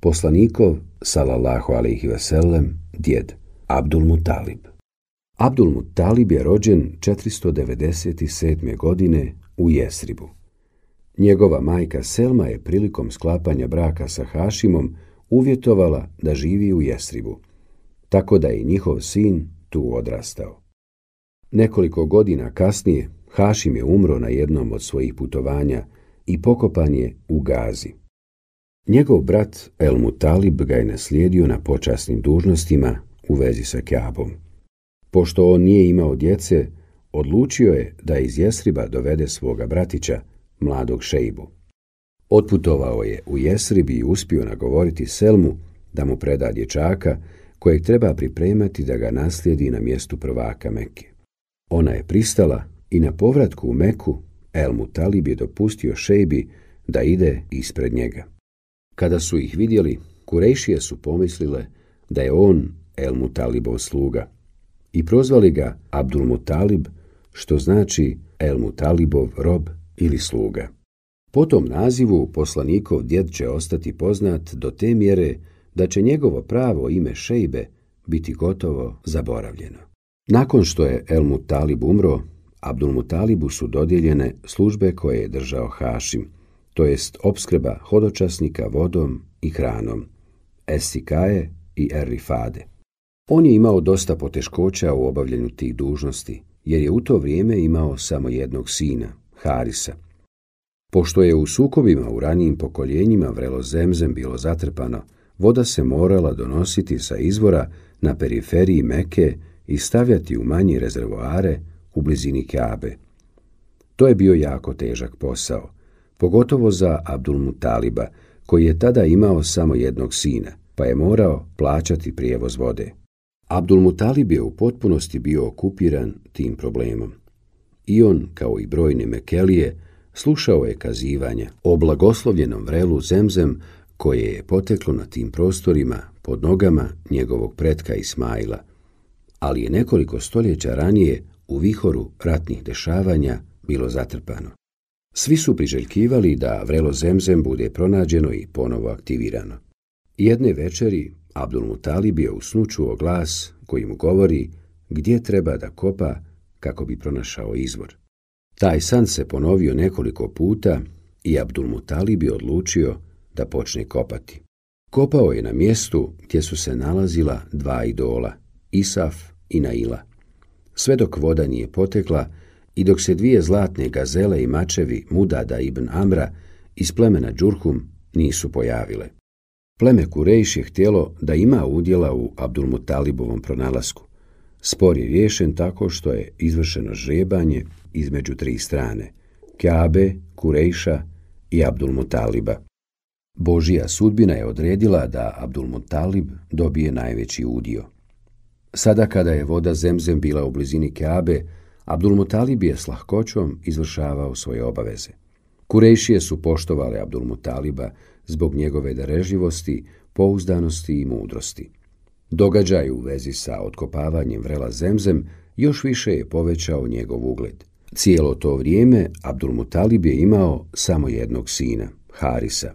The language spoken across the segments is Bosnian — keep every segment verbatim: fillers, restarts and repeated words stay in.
Poslanikov, salallahu alejhi ve sellem, djed, Abdul Mutalib. Abdul Mutalib je rođen četiristo devedeset sedme. godine u Jesribu. Njegova majka Selma je prilikom sklapanja braka sa Hašimom uvjetovala da živi u Jesribu, tako da je njihov sin tu odrastao. Nekoliko godina kasnije Hašim je umro na jednom od svojih putovanja i pokopan je u Gazi. Njegov brat El Mutalib ga je naslijedio na počasnim dužnostima u vezi sa Kjabom. Pošto on nije imao djece, odlučio je da iz Jesriba dovede svoga bratića, mladog Šejbu. Otputovao je u Jesrib i uspio nagovoriti Selmu da mu preda dječaka kojeg treba pripremati da ga naslijedi na mjestu prvaka Mekke. Ona je pristala i na povratku u Meku El Mutalib je dopustio Šejbi da ide ispred njega. Kada su ih vidjeli, Kurejšije su pomislile da je on El Mutalibov sluga i prozvali ga Abdul Mutalib, što znači El Mutalibov rob ili sluga. Po tom nazivu poslanikov djed će ostati poznat do te mjere da će njegovo pravo ime Šejbe biti gotovo zaboravljeno. Nakon što je El Mutalib umro, Abdul Mutalibu su dodijeljene službe koje je držao Hašim, to jest opskrba hodočasnika vodom i hranom, Es-Sikaje i Er-Rifade. On je imao dosta poteškoća u obavljanju tih dužnosti, jer je u to vrijeme imao samo jednog sina, Harisa. Pošto je u sukobima u ranijim pokoljenjima vrelo Zemzem bilo zatrpano, voda se morala donositi sa izvora na periferiji Mekke i stavljati u manje rezervoare u blizini Kjabe. To je bio jako težak posao, pogotovo za Abdul Mutaliba, koji je tada imao samo jednog sina, pa je morao plaćati prijevoz vode. Abdul Mutalib je u potpunosti bio okupiran tim problemom. I on, kao i brojne Mekelije, slušao je kazivanja o blagoslovljenom vrelu Zemzem koje je poteklo na tim prostorima pod nogama njegovog pretka Ismaila, ali je nekoliko stoljeća ranije u vihoru ratnih dešavanja bilo zatrpano. Svi su priželjkivali da vrelo Zemzem bude pronađeno i ponovo aktivirano. Jedne večeri Abdul Mutalib je u snu čuo glas koji mu govori gdje treba da kopa kako bi pronašao izvor. Taj san se ponovio nekoliko puta i Abdul Mutalib je odlučio da počne kopati. Kopao je na mjestu gdje su se nalazila dva idola, Isaf i Naila. Sve dok voda nije potekla i dok se dvije zlatne gazele i mačevi Mudada ibn Amra iz plemena Džurhum nisu pojavile. Pleme Kurejš je htjelo da ima udjela u Abdul Mutalibovom pronalasku. Spor je riješen tako što je izvršeno žrebanje između tri strane, Kjabe, Kurejša i Abdul Mutaliba. Božja sudbina je odredila da Abdul Mutalib dobije najveći udio. Sada kada je voda Zemzem bila u blizini Kjabe, Abdul Mutalib je s lahkoćom izvršavao svoje obaveze. Kurejšije su poštovale Abdul Mutaliba zbog njegove darežljivosti, pouzdanosti i mudrosti. Događaj u vezi sa otkopavanjem vrela Zemzem još više je povećao njegov ugled. Cijelo to vrijeme Abdul Mutalib je imao samo jednog sina, Harisa.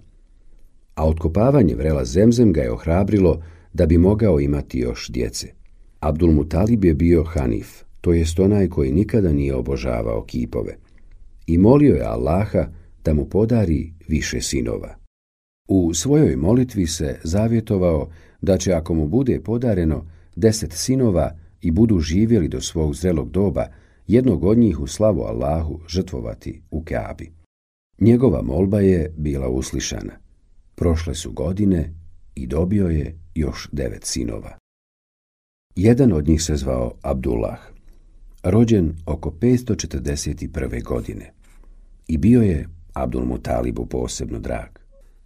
A otkopavanje vrela Zemzem ga je ohrabrilo da bi mogao imati još djece. Abdul Mutalib je bio Hanif, to jest onaj koji nikada nije obožavao kipove. I molio je Allaha da mu podari više sinova. U svojoj molitvi se zavjetovao da će, ako mu bude podareno deset sinova i budu živjeli do svog zrelog doba, jednog od njih u slavu Allahu žrtvovati u Kjabi. Njegova molba je bila uslišana. Prošle su godine i dobio je još devet sinova. Jedan od njih se zvao Abdullah, rođen oko petsto četrdeset prve. godine. I bio je Abdul Mutalibu posebno drag.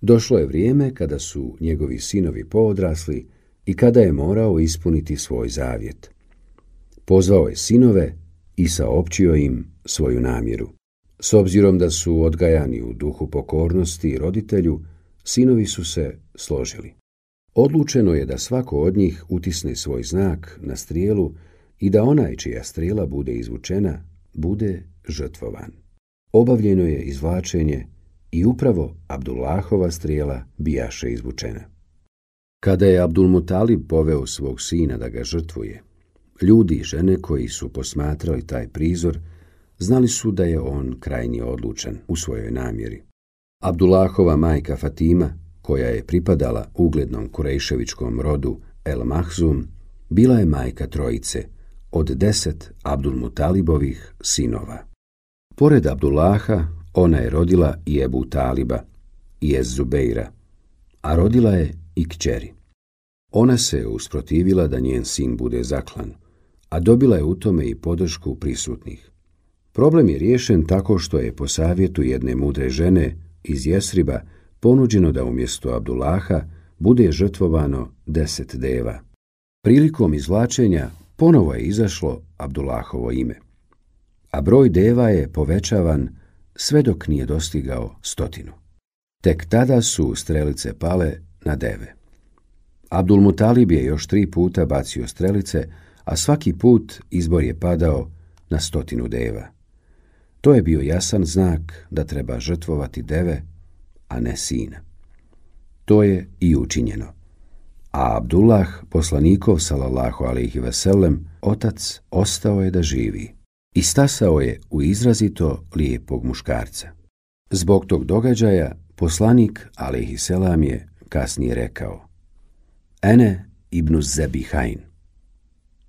Došlo je vrijeme kada su njegovi sinovi poodrasli i kada je morao ispuniti svoj zavjet. Pozvao je sinove i saopćio im svoju namjeru. S obzirom da su odgajani u duhu pokornosti roditelju, sinovi su se složili. Odlučeno je da svako od njih utisne svoj znak na strijelu i da onaj čija strijela bude izvučena, bude žrtvovan. Obavljeno je izvlačenje i upravo Abdullahova strijela bijaše izvučena. Kada je Abdulmutalib poveo svog sina da ga žrtvuje, ljudi i žene koji su posmatrali taj prizor znali su da je on krajnje odlučan u svojoj namjeri. Abdullahova majka Fatima, koja je pripadala uglednom Kurejševičkom rodu El Mahzum, bila je majka trojice od deset Abdulmutalibovih sinova. Pored Abdullaha, ona je rodila i Ebu Taliba i Ez Zubeira, a rodila je i kćeri. Ona se usprotivila da njen sin bude zaklan, a dobila je u tome i podršku prisutnih. Problem je riješen tako što je po savjetu jedne mudre žene iz Jesriba ponuđeno da umjesto Abdullaha bude žrtvovano deset deva. Prilikom izvlačenja ponovo je izašlo Abdullahovo ime, a broj deva je povećavan sve dok nije dostigao stotinu. Tek tada su strelice pale na deve. Abdulmutalib je još tri puta bacio strelice, a svaki put izbor je padao na stotinu deva. To je bio jasan znak da treba žrtvovati deve, a ne sina. To je i učinjeno. A Abdullah, poslanikov sallallahu alejhi ve sellem, otac, ostao je da živi i stasao je u izrazito lijepog muškarca. Zbog tog događaja poslanik alejhi selam je kasnije rekao: Ene ibnu Zebihain.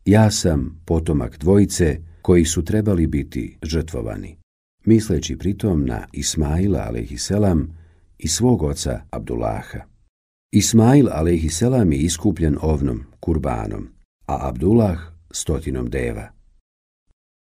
Ja sam potomak dvojice koji su trebali biti žrtvovani, misleći pritom na Ismaila alejhi selam i svog oca Abdullaha. Ismail alejhi selam je iskupljen ovnom, kurbanom, a Abdullah stotinom deva.